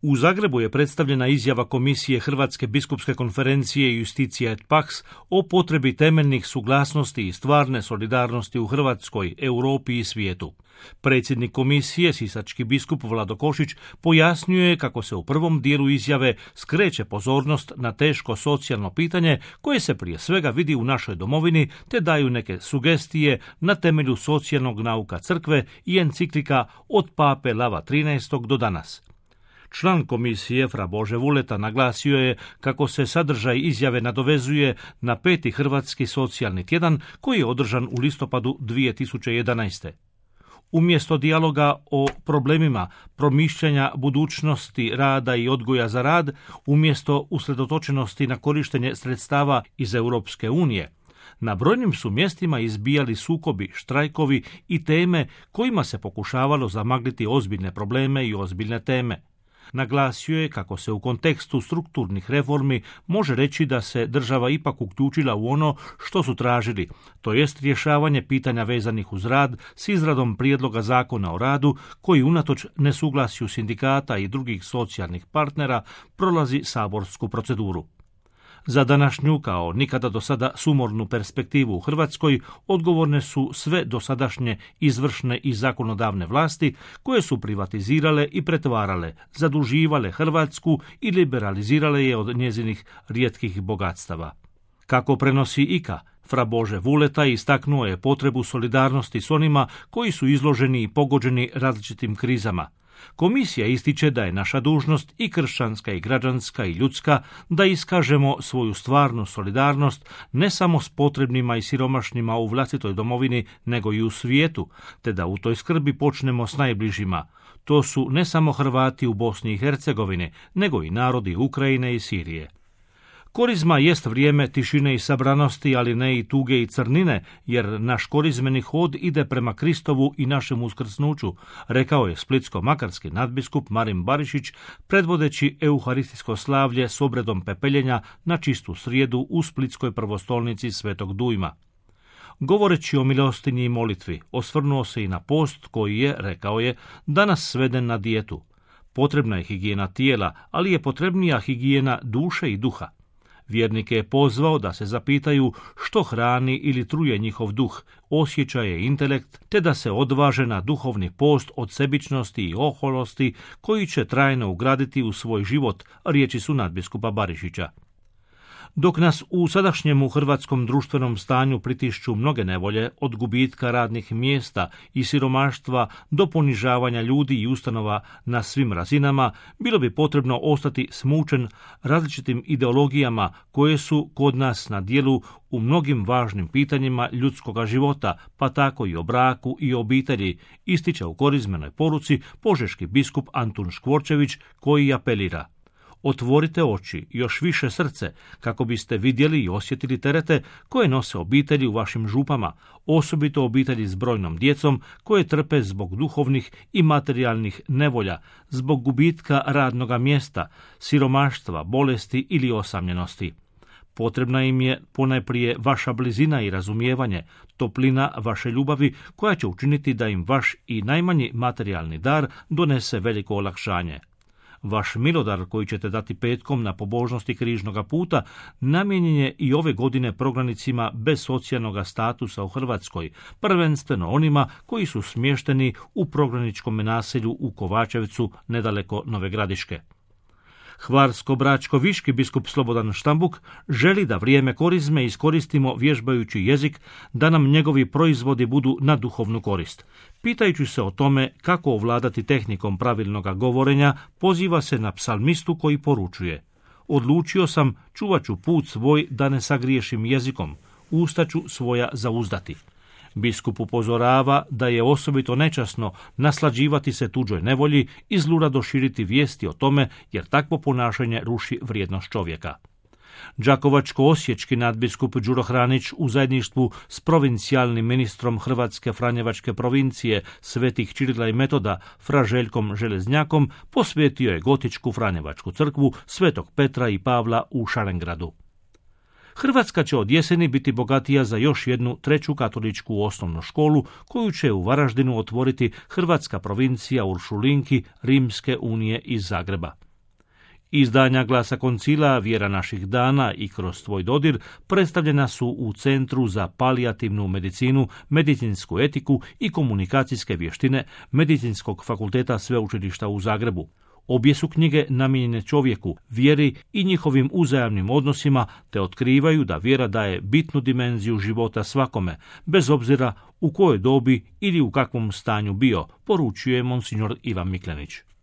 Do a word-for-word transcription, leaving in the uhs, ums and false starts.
U Zagrebu je predstavljena izjava Komisije Hrvatske biskupske konferencije Justitia et Pax o potrebi temeljnih suglasnosti i stvarne solidarnosti u Hrvatskoj, Europi i svijetu. Predsjednik komisije, sisački biskup Vlado Košić, pojasnjuje kako se u prvom dijelu izjave skreće pozornost na teško socijalno pitanje koje se prije svega vidi u našoj domovini, te daju neke sugestije na temelju socijalnog nauka crkve i enciklika od pape Lava trinaestog do danas. Član komisije Fra Bože Vuleta naglasio je kako se sadržaj izjave nadovezuje na peti Hrvatski socijalni tjedan koji je održan u listopadu dvije tisuće jedanaeste. Umjesto dijaloga o problemima promišljanja budućnosti rada i odgoja za rad, umjesto usredotočenosti na korištenje sredstava iz Europske unije, na brojnim su mjestima izbijali sukobi, štrajkovi i teme kojima se pokušavalo zamagliti ozbiljne probleme i ozbiljne teme. Naglasio je kako se u kontekstu strukturnih reformi može reći da se država ipak uključila u ono što su tražili, to jest rješavanje pitanja vezanih uz rad s izradom prijedloga zakona o radu koji unatoč nesuglasju sindikata i drugih socijalnih partnera prolazi saborsku proceduru. Za današnju, kao nikada do sada sumornu perspektivu u Hrvatskoj, odgovorne su sve dosadašnje izvršne i zakonodavne vlasti koje su privatizirale i pretvarale, zaduživale Hrvatsku i liberalizirale je od njezinih rijetkih bogatstava. Kako prenosi I K A, Fra Bože Vuleta istaknuo je potrebu solidarnosti s onima koji su izloženi i pogođeni različitim krizama. Komisija ističe da je naša dužnost i kršćanska i građanska i ljudska da iskažemo svoju stvarnu solidarnost ne samo s potrebnima i siromašnima u vlastitoj domovini, nego i u svijetu, te da u toj skrbi počnemo s najbližima. To su ne samo Hrvati u Bosni i Hercegovini, nego i narodi Ukrajine i Sirije. Korizma jest vrijeme tišine i sabranosti, ali ne i tuge i crnine, jer naš korizmeni hod ide prema Kristovu i našem uskrsnuću, rekao je splitsko-makarski nadbiskup Marin Barišić, predvodeći euharistijsko slavlje s obredom pepeljenja na čistu srijedu u splitskoj prvostolnici Svetog Dujma. Govoreći o milostinji i molitvi, osvrnuo se i na post koji je, rekao je, danas sveden na dijetu. Potrebna je higijena tijela, ali je potrebnija higijena duše i duha. Vjernike je pozvao da se zapitaju što hrani ili truje njihov duh, osjećaje i intelekt, te da se odvaže na duhovni post od sebičnosti i oholosti koji će trajno ugraditi u svoj život, riječi su nadbiskupa Barišića. Dok nas u sadašnjemu hrvatskom društvenom stanju pritišću mnoge nevolje, od gubitka radnih mjesta i siromaštva do ponižavanja ljudi i ustanova na svim razinama, bilo bi potrebno ostati smučen različitim ideologijama koje su kod nas na djelu u mnogim važnim pitanjima ljudskoga života, pa tako i o braku i obitelji, ističe u korizmenoj poruci požeški biskup Antun Škvorčević koji apelira: otvorite oči, još više srce, kako biste vidjeli i osjetili terete koje nose obitelji u vašim župama, osobito obitelji s brojnom djecom koje trpe zbog duhovnih i materijalnih nevolja, zbog gubitka radnoga mjesta, siromaštva, bolesti ili osamljenosti. Potrebna im je ponajprije vaša blizina i razumijevanje, toplina vaše ljubavi koja će učiniti da im vaš i najmanji materijalni dar donese veliko olakšanje. Vaš milodar koji ćete dati petkom na pobožnosti križnoga puta namijenjen je i ove godine prognanicima bez socijalnog statusa u Hrvatskoj, prvenstveno onima koji su smješteni u prognaničkom naselju u Kovačevcu nedaleko Nove Gradiške. Hvarsko-bračko-viški biskup Slobodan Štambuk želi da vrijeme korizme iskoristimo vježbajući jezik, da nam njegovi proizvodi budu na duhovnu korist. Pitajući se o tome kako ovladati tehnikom pravilnoga govorenja, poziva se na psalmistu koji poručuje: odlučio sam, čuvat ću put svoj da ne sagriješim jezikom, usta ću svoja zauzdati. Biskup upozorava da je osobito nečasno naslađivati se tuđoj nevolji i zlurado širiti vijesti o tome, jer takvo ponašanje ruši vrijednost čovjeka. Đakovačko-osječki nadbiskup Đuro Hranić u zajedništvu s provincijalnim ministrom Hrvatske Franjevačke provincije Svetih Čirila i Metoda Fra Željkom Železnjakom posvetio je gotičku Franjevačku crkvu Svetog Petra i Pavla u Šarengradu. Hrvatska će od jeseni biti bogatija za još jednu treću katoličku osnovnu školu koju će u Varaždinu otvoriti Hrvatska provincija Uršulinki Rimske unije iz Zagreba. Izdanja Glasa Koncila, Vjera naših dana i Kroz tvoj dodir predstavljena su u Centru za palijativnu medicinu, medicinsku etiku i komunikacijske vještine Medicinskog fakulteta Sveučilišta u Zagrebu. Obje su knjige namijenjene čovjeku, vjeri i njihovim uzajamnim odnosima, te otkrivaju da vjera daje bitnu dimenziju života svakome, bez obzira u kojoj dobi ili u kakvom stanju bio, poručuje monsignor Ivan Miklenić.